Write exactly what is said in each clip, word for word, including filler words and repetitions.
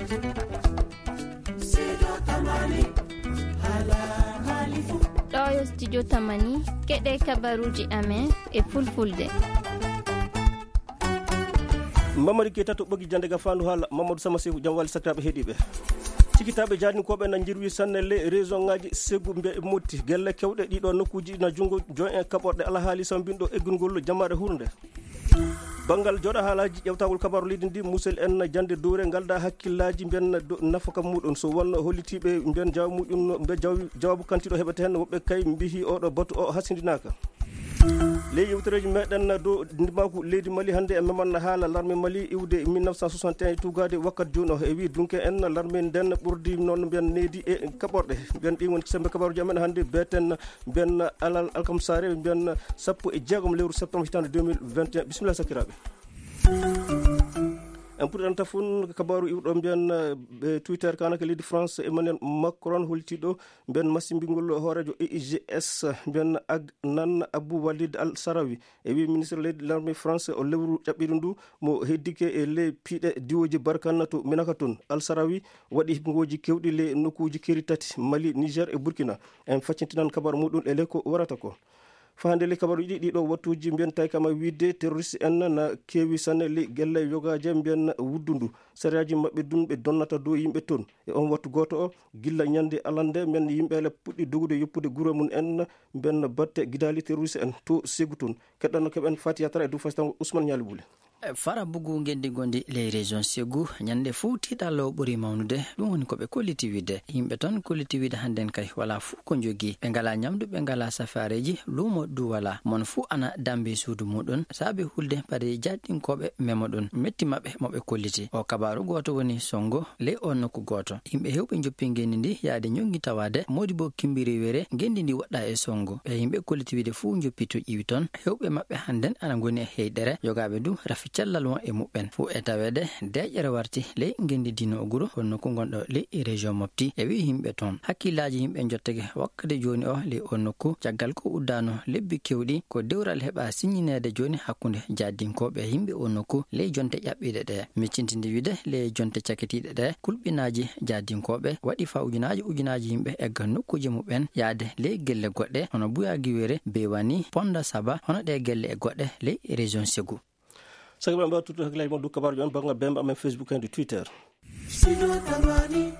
Ɗo yo studio Tamani, keɗe kabaruuji amen e fulfulde. Mamadi Keita to ɓogi jande ga fandu haala, Mamadou Sama Seku, jam wali sakiraaɓe heɗiiɓe. Cikitaaɓe jaadinkooɓe na njirwi sanne le région ngaji Segu mbe Motti. Gelle kewɗe ɗiɗo nokkuuji na junngo join en kaɓorɗe alhaali sambinɗo eggungol jamaare hurnde. Banngal jooɗa haalaaji ƴewtagol kabaaru leydi ndi, musel en jande dowre ngal da hakkillaaji mbiyen do-, nafaka muɗum. So wonno hollitiiɓe mbiyen jawmuɗum, mbe jaw-, jawaabu kantiiɗo heɓete hen, woɓɓe kay mbihi oɗo batu o hasindinaaka. Ley yewtereeji meɗen dow ndimaaku leydi Mali hannde, e meman haala larme Mali iwde mille neuf cent soixante et un tuugaade wakkat jooni o. E wi dunke en larme nden ɓurdi noon mbiyen needi e kaɓorɗe. Mbiyen ɗin woni sembe kabaaruji amen hannde, beeten mbiyen alal alkamsaare, mbiyen sappo e jeegom lewru septembre hitaande deux mille vingt et un. Bisimilla sakiraaɓe. En puɗɗanta fun kabaaru iwɗo mbiyen, eh, Twitter kana ka leydi France, Emmanuel Macron holtiɗo mbiyen masimbingol hooreejo E I G S, mbiyen Adnan Abou Walid Al Sarawi. E wi ministre leydi l'armée France o lewru ƴaɓɓiɗo ndu mo heddike e ley piiɗe diwoji Barkana to Minaka toon. Al Sarawi waɗi hiɓngooji kewɗi ley nokkuuji keeri tati, Mali, Niger e Burkina. En faccintinan kabaaru muɗum e ley ko warata ko. Fahande ley kabaaruji ɗi, ɗiɗo wattuji mbiyen tawi kama wiide terroriste en na keewi sanne ley gelle yogaaje mbiyen wuddundu. Sariyaaji maɓɓe dun ɓe donnata dow yimɓe toon. E on wattu gooto o, gilla ñande alande men yimɓe ele puɗɗi dogude yoppude gure mum en, mbiyen batte gidaali terroriste en to Segu toon. Keɗɗanno keɓen Fati Yatara e dow fasitango Ousmane Ñaali Bule. Fara bugu ngenndi gonndi ley région Segu, ñande fof tiiɗalla o ɓuri mawnude. Ɗum woni ko ɓe kolliti wiide. Yimɓe toon kolliti wiide hannden kay walaa fof ko njogii. Ɓe ngalaa ñamdu, ɓe ngalaa safaareeji, luumo du walaa. Mon fof ana dammbi suudu muɗum, saabi hulde paɗe jaadinkooɓe memo ɗum. Metti maɓɓe mo ɓe kolliti. O kabaaru gooto woni sonngo ley o nokku gooto. Yimɓe heewɓe njoppi ngenndi ndi yaade ñonngi tawaade, moodi bo kimbiri were ngenndi ndi woɗɗaa e sonngo. Ɓe yimɓe kolliti wiide fof njoppi to ƴiwi toon. Heewɓe maɓɓe hannden ana ngoni e heyɗere, yogaaɓe du rafi cellal won e muɓɓen. Fof e taweede, deeƴere warti ley ngenndi diino o guro, kono nokku ngonɗo ley région Mopti. E wi yimɓe toon. Hakkillaaji yimɓe njottake wakkati jooni o ley o nokku, caggal ko uddaano lebbi kewɗi, ko dewral heɓa siññineede jooni hakkunde jaadinkooɓe e yimɓe o nokku ley jonte ƴaɓɓiiɗe ɗe. Miccintinde wiide ley jonte cakitiiɗe ɗe, kulɓinaaji jaadinkooɓe waɗi faa ujunaaji ujunaaji yimɓe egga nokkuuje muɓɓen yaade ley gelle goɗɗe, hono Buya Giwere, Bewani, Ponda Saba, hono ɗe gelle e goɗɗe ley région Segu. Sagi ɓe mbaɗa tuttu hakkillaaji mon dow kabaaruji on banngal bemba amen Facebook en e Twitter.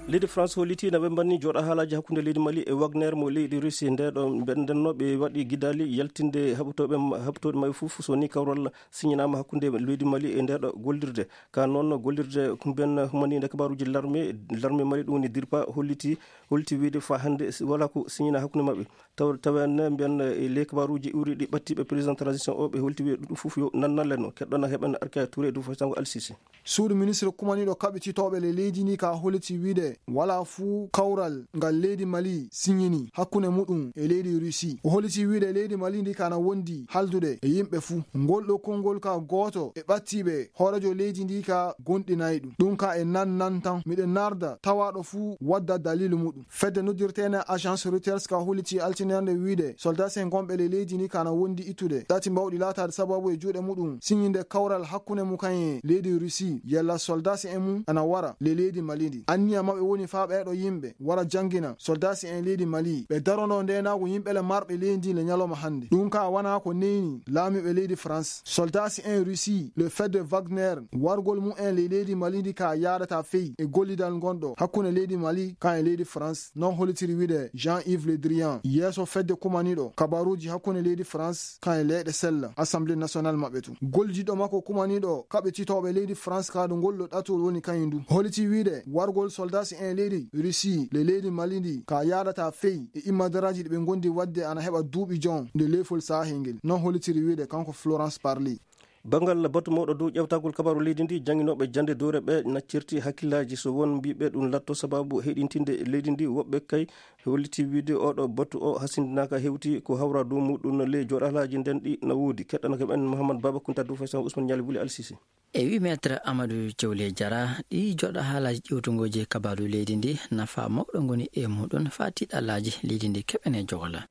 Leydi France hollitii na ɓe mbanni jooɗa haalaaji hakkunde leydi Mali e Wagner mo leydi Russie. Nde ɗo ɓe ndenno ɓe waɗi gidaali yaltinde haɓotooɓe ma-, haɓotooɗe maɓɓe fof, so ni kawral siñinaama hakkunde leydi Mali e nde ɗo gollirde. Ka noon gollirde kumben humaniinde kabaaruji larme, larme Mali ɗum woni DIRPA holliti, holti wiide fa hannde si-, wala ko siñina hakkunde maɓɓe. Taw-, tawen mbiyen, eh, ley kabaaruji ɓuriɗi ɓattiiɓe président transition o, ɓe holti wiide ɗum fof yo nannalenno. Keɗɗon heɓen Arkaya Touré e dow fasitango Al Sisi. Suudu ministre kumaniiɗo kaɓititooɓe le leydi ndi ka holiti wiide wala fuu kawral ngal leydi Mali siñini hakkunde muɗum e leydi Russie. O holiti wiide leydi Mali ndi kana wondi haldude e yimɓe fuu. Ngol ɗo konngol ka gooto e ɓattiiɓe hooreejo leydi ndi ka gonɗinay ɗum. Ɗum ka e nan nan tan. Miɗen narda tawaaɗo fuu wadda daliilu muɗum. Fedde noddirteene Agence Reuters ka holiti altinerde wiide soldat sen gonɓe le leydi ndi kana wondi ittude. Ɗati mbawɗi laataade sababu e juuɗe muɗum siñinde kawral hakkunde mum kañum e leydi Russie, yalla soldaasi en mum ana wara le leydi Mali ndi. Anniya maɓɓe woni faa ɓeeɗo yimɓe wara janngina soldaasi en leydi Mali, ɓe darono ndeenaagu yimɓe le marɓe leydi ndi le ñalawma hannde. Ɗum ka wanaa ko neyni laamiiɓe leydi France. Soldaasi en Russie, le fedde Wagner, wargol mum en le leydi Mali ndi ka yaadata fey e gollidal ngonɗo hakkunde leydi Mali kan e leydi France. Non hollitiri wiide Jean-Yves Le Drian, yeeso fedde kumaniiɗo kabaruuji hakkunde leydi France kan e leyɗe sella, Assemblée nationale maɓɓe tun. Gollidiiɗo makko kumaniiɗo kaɓititooɓe leydi France ka ɗo ngol ɗo ɗatol woni kañum du. Holliti wiide wargol soldaasi en leydi Russie le leydi Mali ndi ka yaadata fey e immadaraaji ɗi ɓe ngondi waɗde ana heɓa duuɓi jon nde leefol saahel ngel. Non hollitiri wiide kanko Florence Parly. Banngal batu mawɗo dow ƴeewtagol kabaaru leydi ndi, jannginooɓe jannde dowre ɓe na certi hakkillaaji so won mbiiɓe ɗum latto sababu heɗintinde leydi ndi. Woɓɓe kay holliti wiide oɗo batu o hasindinaaka, hewti ko hawra dow muɗum ley jooɗalaaji nden ɗi na woodi. Keɗɗanake men Mouhammad Baba Kunta dow faysan Ousmane Ñaali Wuli Alsisi. E wi Maître Amadou Thiawlé Diarra, ɗi jooɗa haalaaji ƴewtugooji kabaaru leydi ndi, nafa mawɗo ngoni e muɗum faa tiiɗalaaji leydi ndi keɓene jogola.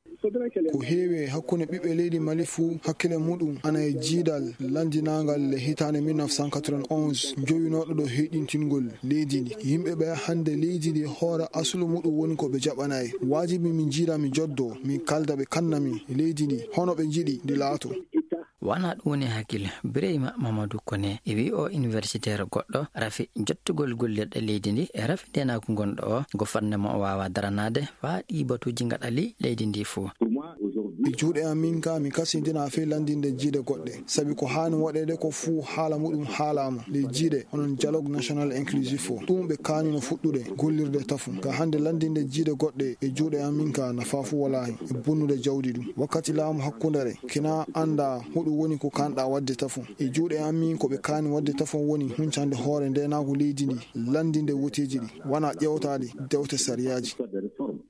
Ko heewi e hakkunde ɓiɓɓe leydi Mali fuu, hakkille muɗum ana e jiidal lanndinaangal le hitaande mille neuf cent quatre-vingt-onze, jowinooɗo ɗo heyɗintingol leydi ndi. Yimɓe ɓe hannde leydi ndi hoore asulu muɗum woni ko ɓe jaɓanaay. Waajibi min jiida, mi joddo, min kalda ɓe kanna min leydi ndi, hono ɓe njiɗi ndi laato. Wona ɗum woni hakkille. Bireyma Mamadou Kone e wi o universitaire goɗɗo rafi jottugol gollirɗe leydi ndi e rafi ndenaagu gonɗo o, go fannde mo o waawa daranaade faa ɗi batuuji ngaɗa ley leydi ndi fuu. E juuɗe am min ka, mi kasindina fii lanndinde jiide goɗɗe, sabi ko haani waɗeede ko fuu haala muɗum haalaama ley jiide, onon dialogue national inclusif o. Ɗum ɓe kaanino fuɗɗude gollirde tafo. Ka hannde lanndinde jiide goɗɗe e juuɗe am min ka, nafaa fuu walaa hen e bonnude jawdi ɗum. Wakkati laamu hakkundere, kina annda hoɗum woni ko kanɗa waɗde tafo. E juuɗe am min, ko ɓe kaani waɗde tafo woni huncande hoore ndenaagu leydi ndi, lanndinde woteeji ɗi, wona ƴeewtaade dewte sariyaaji.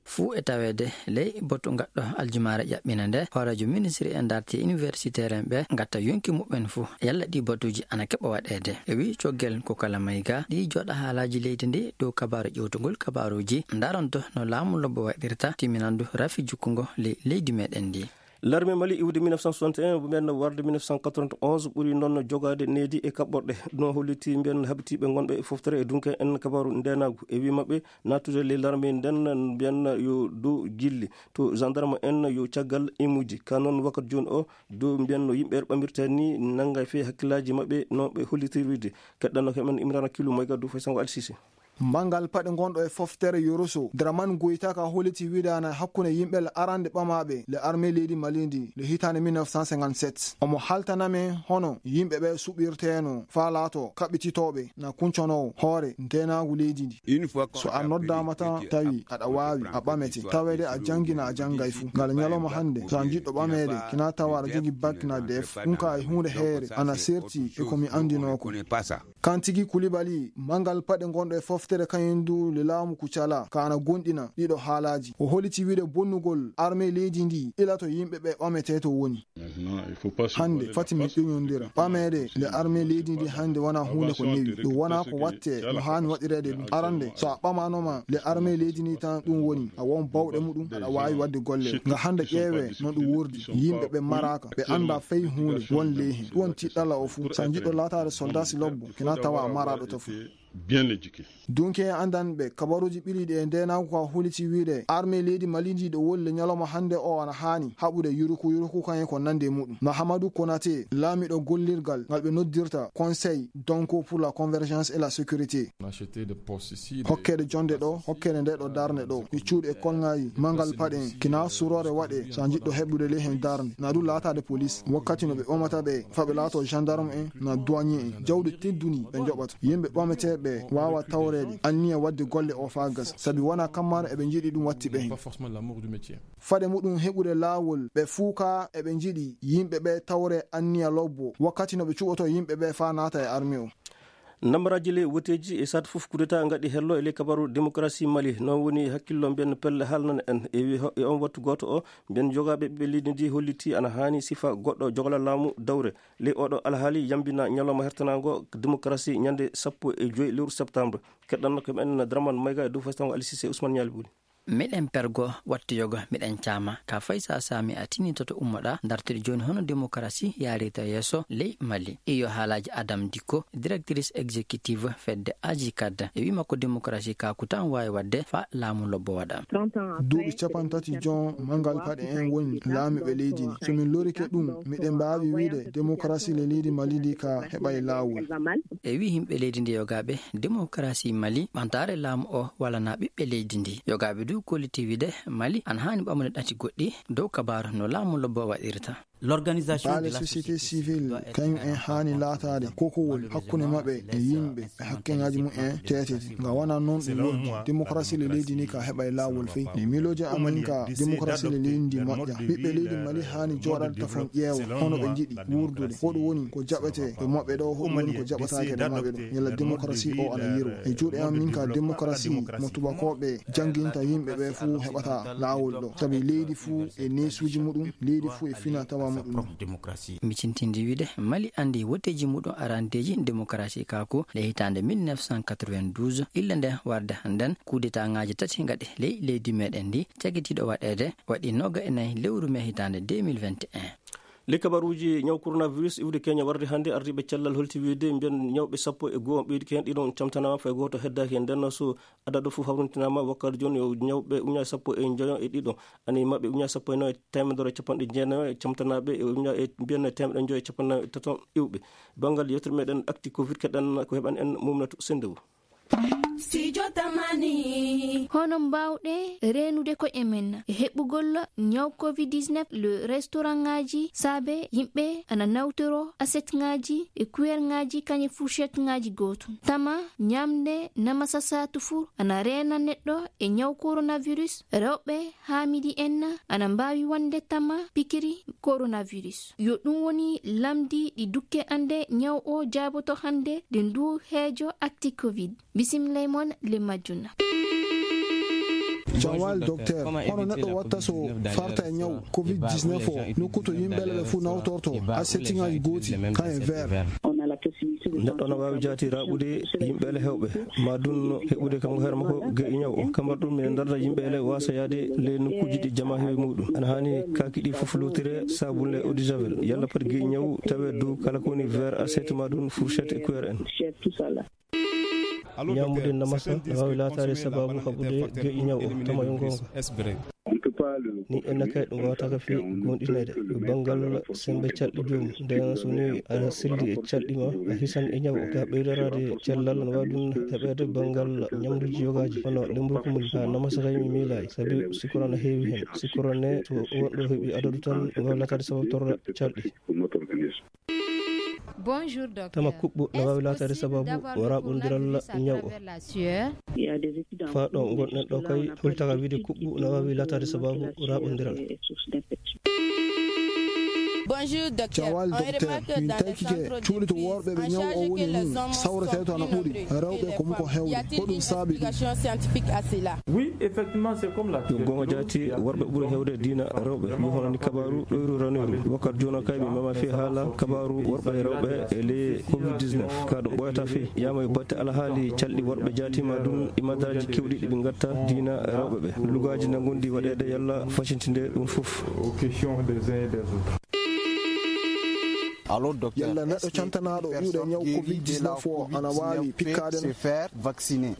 Fuu e taweede ley batu ngaɗɗo aljumaare ƴaɓɓina nde, hooreejo ministri en darti universitaire en ɓe ngatta yonki muɓɓen fuu, yalla ɗi batuuji ana keɓa waɗeede. E wi coggel ko kala mayga ɗi jooɗa haalaaji leydi ndi dow kabaaru ƴewtugol kabaaruuji, ndaronto no laamu lobbo waɗirta timminandu rafi jukkungo ley leydi meɗen ndi. L'armée Mali iwde mille neuf cent soixante et un, ɓen warde mille neuf cent quatre-vingt-onze, ɓuri noon jogaade needi e kaɓɓorɗe. Ɗum holliti mbiyen habitiiɓe ngonɓe e foftere e dunke en kabaaru ndenaagu. E wi maɓɓe, nattude ley l'armée nden, mbiyen yo dow gilli. To gendarme en yo caggal imuji. Ka noon wakkati jooni o, dow mbiyen no yimɓe ɓamirta ni nanga fee hakkillaaji maɓɓe no ɓe hollitirde. Keɗɗanno ko men Imrana Kilu Mayga dow Faysango Alsise. Manngal paɗe ngonɗo e foftere Yoroso, Draman Goyta ka holliti wiidaana hakkunde yimɓe le arande ɓamaaɓe le armée leydi Mali ndi le hitaande mille neuf cent cinquante-sept. Omo haltana men hono yimɓe ɓe suɓirteeno faa laato kaɓɓititooɓe na kunconoowo hoore ndenaagu leydi ndi. So a noddaama tan tawi aɗa waawi, a ɓamete, taweede a janngina a janngay fuu. Ngal ñalawma hannde, so a jiɗɗo ɓameede, kina tawa aɗa jogi bak na def, ɗum ka e huunde heere, ana serti e ko mi anndinoo ko. Kantigi Kulibali, manngal paɗe ngonɗo e foftere kañum du le laamu Kucala, ka ana gonɗina ɗiɗo haalaaji. O holliti wiide bonnugol armée leydi ndi ila to yimɓe ɓe ɓametee to woni. Hannde, fati min ƴoñondira. Ɓameede le armée leydi ndi hannde wona huunde ko newi. Ɗum wona ko watte no haani waɗireede ɗum. Arande, so a ɓamaanoma le armée leydi ndi tan ɗum woni, a won bawɗe muɗum, aɗa waawi waɗde golle. Nga hannde ƴeewee no ɗum wordi. Yimɓe ɓe maraaka, ɓe annda fay huunde won ley hen. Ɗum woni tiɗɗalla o fuu. So a jiɗɗo laataade soldat si lobbo, kina tawa a maraaɗo to fuu. Bien éduqué. Dunke en anndanɓe kabaruuji ɓiliiɗi e ndeenaagu ka holliti wiide armée leydi Mali ndi ɗo woni le ñalawma hannde o ana haani haɓude yuruku yuruku kañum ko nande muɗum. Mahamadou Konaté, laamiɗo gollirgal ngal ɓe noddirta Conseil Donko pour la Convergence et la Sécurité. Hokkeede jonde ɗo, hokkeede nde ɗo darnde ɗo, e cuuɗi e kolŋaaji, manngal paɗe en, kina suroore waɗe, so a jiɗɗo heɓude ley hen darnde, na ɗum laataade police, wakkati no ɓe ɓamata ɓe, faa ɓe laato gendarme en, na douanier en, jawdi tedduni ɓe njoɓata. Yimɓe ɓameteeɓe waawa tawreede, anniya waɗde golle o faa gasa, sabi wona kammaano eɓe njiɗi ɗum watti ɓe hen. Faade muɗum heɓude laawol, ɓe fuu ka eɓe njiɗi yimɓe ɓe tawre anniya lobbo, wakkati no ɓe cuɓoto yimɓe ɓe faa naata e armée o. Nambaraaji ley woteeji e saatu fof kudeta ngaɗi hello e ley kabaru démocratie Mali. Noon woni hakkillo mbiyen pelle haalnana en. E wi-, e on wattu gooto o, mbiyen jogaaɓe ɓiɓɓe leydi ndi holliti ana haani sifa goɗɗo jogla laamu dawre. Ley oɗo alhaali yambina ñalawma hertanaango démocratie ñande sappo e joy lewru septembre. Keɗɗanno ko men Draman Mayga e dow fastango Ali Cissé Ousmane Ñaali Buli. Miɗen pergo wattu yoga, miɗen caama. Ka fay sa saami a tinitoto ummoɗa, dartude jooni hono démocratie yaarirta yeeso ley Mali. Iyo haalaaji Adam Dikko, directrice exécutive fedde Agicad. E wi makko démocratie ka ko tan waawi waɗde fa laamu lobbo waɗa. Duuɓi capantati jon manngal paɗe en woni laamiiɓe leydi ndi. So min lorike ɗum, miɗen mbaawi wiide démocratie le leydi Mali ndi ka heɓay laawol. E wi yimɓe leydi ndi yogaaɓe, démocratie Mali, ɓantaare laamu o walana ɓiɓɓe leydi ndi. Yogaaɓe du kolliti wiide Mali ana haani ɓamude ɗati goɗɗi dow kabaaru no laamu lobbo waɗirta. Baale société civile, kañum en haani laataade kokowol hakkunde maɓɓe e yimɓe e hakkeŋaaji mum en teetete. Nga wona noon ɗum woni. Démocratie le leydi ndi ka heɓay laawol fey. Mi miilooji amin ka démocratie le leydi ndi moƴƴa. Ɓiɓɓe leydi Mali haani jooɗaade tafon ƴeewa hono ɓe njiɗi wuurdude. Hoɗum woni ko jaɓetee e maɓɓe ɗo, hoɗum woni ko jaɓataake e maɓɓe ɗo. Yalla démocratie o ana yirwa. E juuɗe am min ka démocratie mo tubakooɓe jannginta yimɓe ɓe fuu heɓata laawol ɗo. Sabi leydi fuu e neesuuji muɗum, leydi fuu e fina tawa Sa prof démocratie. Micintinde wiide, Mali anndi wotteeji muɗum arandeeji démocratie ka ko le hitaande mille neuf cent quatre-vingt-douze, illa nde warde hannden, kudetaaŋaaji tati ngaɗe ley leydi meɗen ndi, cagitiiɗo waɗeede waɗi nooga e nayi lewru me hitaande deux mille vingt et un. Ley kabaruuji ñaw coronavirus iwde Kenya warde hannde, ardiiɓe cellal holti wiide mbiyan ñawɓe sappo e goo ɓeydike heen, ɗiɗon camtanaama, fay gooto heddaaki heen. Nden so adadu fof hawrintinaama, wakkati jooni o ñawɓe uña sappo e njoyo e ɗiɗo, ani maɓɓe uña sappo e nayo e teemedere e capanɗe jeenayo e camtanaaɓe e uña e mbiyan teemedere njoyo e capanɗe nayo e tato iwɓe. Banngal yewtere meɗen actu covid keɗen ko heɓan en Mumnatu Sendewu. Studio Tamani. Hono mbaawɗe reenude koye men e heɓugol ñaw covid dix-neuf, le restaurantŋaaji saabe yimɓe ana nawtoro asetŋaaji e kuwerŋaaji kañe fourchetteŋaaji gootum. Tama ñamde namasa saatu fuu ana reena neɗɗo e ñaw coronavirus. Rewɓe haamidi en ana mbaawi wonde tama pikiri coronavirus. Yo ɗum woni lamdi ɗi dukke ande ñaw o jaaboto hannde ɗi ndu heejo actu covid. Bisimilla e mon le majjuna. Bonjour, docteur. Comment éviter la covid dix-neuf dans les endroits où il y a des bars où les gens, ils vendent les bières et même dans certains verres ? Neɗɗo no waawi jaati raaɓude yimɓe ele heewɓe, ma ɗum heɓude kam ko hoore makko geƴi ñaw o. Kamar ɗum, ene darda yimɓe ele waasa yaade le nokkuuji ɗi jama heewi muɗum. Ana haani kaaki ɗi fof lootire saabun le eau de javel. Yalla pati geƴi ñaw tawe dow kala ko woni verre, assiette, ma ɗum fourchette e cuillère en. Ñaamude namasa no waawi laataade sabaabu haɓude geƴi ñaw o, tama yo goonga. Ni en nakay ɗum waawata ka fii goonɗinede. Yo banngal sembe calɗi joomum. Nden so ni a selli e calɗi ma, a hisan e ñaw o. Ka ɓeydaraade cellal no waawi ɗum heɓeede banngal ñamduuji yogaaji, hono lemburu kumuli. Ka namasa kay mi miilaay, sabi sikoro no heewi heen. Sikoro ne, so wonɗo heɓi adadu tan, no waawi laataade sabaabu torra calɗi. Tama kuɓɓu no waawi laataade sabaabu raaɓondiral ñaw o. Faa ɗo ngonɗen ɗo kay, hultaka wiide kuɓɓu no waawi laataade sabaabu raaɓondiral. Bonjour, docteur. Jawal, docteur, min taykike cuuɗi to worɓe ɓe ñaw o woni mum sawretee to ana ɓuri rewɓe ko muko hewde. Ko ɗum saabi ɗum? Oui, effectivement, c'est comme la... Yo goonga jaati, worɓe ɓuri hewde diina rewɓe. Yo hono ni kabaaru ɗoyru ranoyru. Wakkati jooni kay mi mama fii haala kabaaru worɓe e rewɓe e ley covid dix-neuf. Ka ɗum ɓooyata fii. Yama e batte alhaali calɗi worɓe jaati ma ɗum e madaraaji kewɗi ɗi ɓe ngatta diina rewɓe ɓe. Lugaaji na ngondi waɗeede yalla facintinde ɗum fof. Aux questions des uns et des autres. Yalla neɗɗo cantanaaɗo iwde ñaw covid dix-neuf o ana waawi pikkaade no?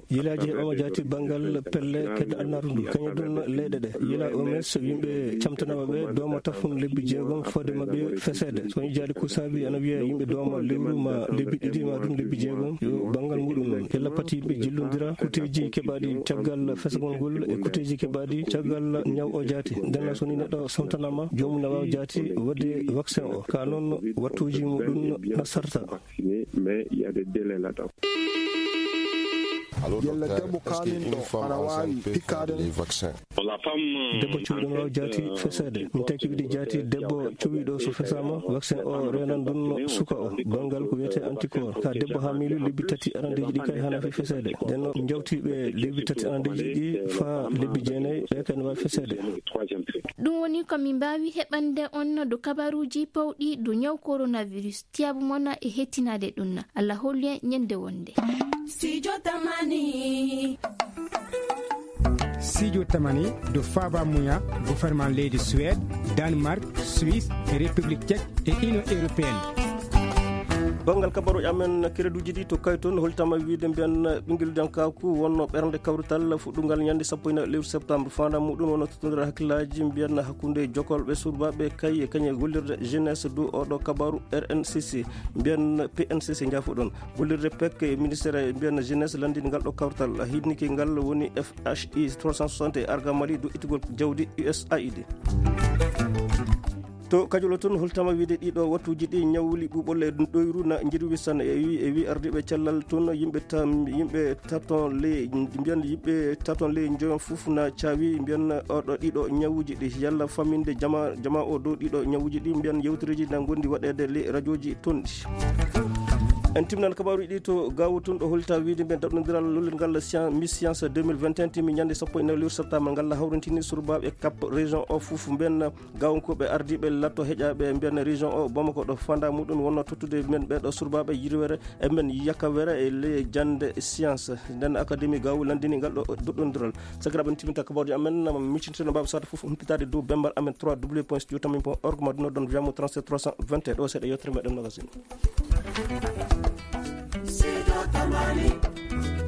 Yilaaji heɓaama jaati banngal pelle kedde alnaru ndu. Kañum ɗum leyɗe ɗe. Yila O M S yimɓe camtanaaɓe ɓe dooma tafun lebbi jeegom fodde maɓɓe feseede. So woni jaade ko saabi ana wiya yimɓe dooma lewru ma lebbi ɗiɗi ma ɗum lebbi jeegom. Yo banngal muɗum noon. Yalla pati yimɓe jillondira kuteeji keɓaaɗi caggal fesagol ngol e kuteeji keɓaaɗi caggal ñaw o jaati. Nden so ni neɗɗo santanaama, joomum na waawi jaati waɗde vaccin o. Ka noon wattuuji muɗum na sarta. Yalla debbo kaaminɗo ana waawi pikkaade? Debbo cuuɗo no waawi jaati feseede. Min taki wiide jaati debbo cuwiiɗo so fesaama, vaccin o reenan ɗum suka o. Banngal ko wiyetee anticorps. Ka debbo haamiiɗo lebbi tati arandeeji ɗi kay hana fi feseede. Nden no njawtiiɓe lebbi tati arandeeji ɗi faa lebbi jeenayi, ɓe kay no waawi feseede. Ɗum woni ko min mbaawi heɓande on dow kabaruuji pawɗi dow ñaw coronavirus. Tiyaabu mon e hettinaade ɗum. Allah hollu en ñande wonde. Studio Tamani. Studio Tamani dow faaba muya gouvernement leydi Suède, Danemark, Suisse, République Tchèque e Union Européenne. Banngal kabaruuji amen, kereduuji ɗi to kay toon, holtama wiide mbiyan ɓinngel dankaaku wonno ɓernde kawrital fuɗɗungal ñande sappo e nayi lewru septembre. Faandaare muɗum wonno tottondira hakkillaaji mbiyan hakkunde jokolɓe surbaaɓe kay e kañe gollirde jeunesse dow oɗo kabaru R N C C. Mbiyan P N C C njaafoɗon. Gollirde pek e ministère mbiyan jeunesse lanndini ngal ɗo kawrital. Hiɗnike ngal woni F H I trois cent soixante e Arga Mali dow ittugol jawdi U S A I D. To Kajolo toon, holtama wiide ɗiɗo wattuuji ɗi ñawli ɓuuɓol e ɗoyru na njirwi san e wi, e wi ardiiɓe cellal toon, yimɓe tam-, yimɓe taton le, mbiyan yimɓe taton le njoyon fof na caawi, mbiyan oɗo ɗiɗo ñawuuji ɗi, yalla famminde jama, jama o dow ɗiɗo ñawuuji ɗi, mbiyan yewtereeji na ngondi waɗeede le rajooji toon ɗi. En timnan kabaaruuji ɗi to Gaawu tun ɗo holta wiide mbiyen daɗɗondiral lullirngal Science, Miss Science deux mille vingt et un timi ñande sappo e nayi lewru septembre ngal hawrintini surbaaɓe Cap région o fof mbiyen Gaawankoɓe ardiiɓe latto heƴaaɓe mbiyen région o Bamako ɗo fanda muɗum wonno tottude men ɓeɗo surbaaɓe yirwere e men yakawere e le jande science. Nden académie Gaawu landini ngal ɗo daɗɗondiral. Sakiraaɓe, en timinta kabaaruuji amen, miccitino mbaaɓe sata fof humpitaade dow bemmbal amen trois w point studio tamim point org ma ɗum ɗon via mo trente-sept trois cent vingt et un ɗo seeɗa yewtere meɗen magazine. Sido Tamani.